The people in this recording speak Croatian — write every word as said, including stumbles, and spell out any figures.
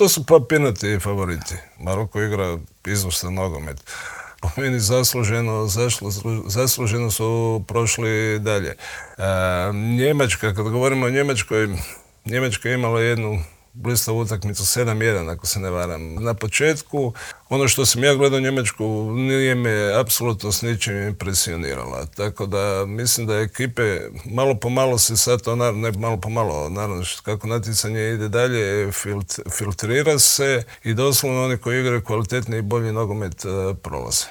To su papirnati favoriti. Maroko igra izvrstan nogomet. Po meni zasluženo, zasluženo su prošli dalje. Njemačka, kad govorimo o Njemačkoj, Njemačka je imala jednu blistavu utakmicu sedam jedan, ako se ne varam. Na početku, ono što sam ja gledao Njemačku, nije me apsolutno s ničim impresionirala. Tako da mislim da ekipe malo po malo se sad to, ne malo po malo, naravno kako natjecanje ide dalje, filtrira se i doslovno oni koji igraju kvalitetni i bolji nogomet prolaze.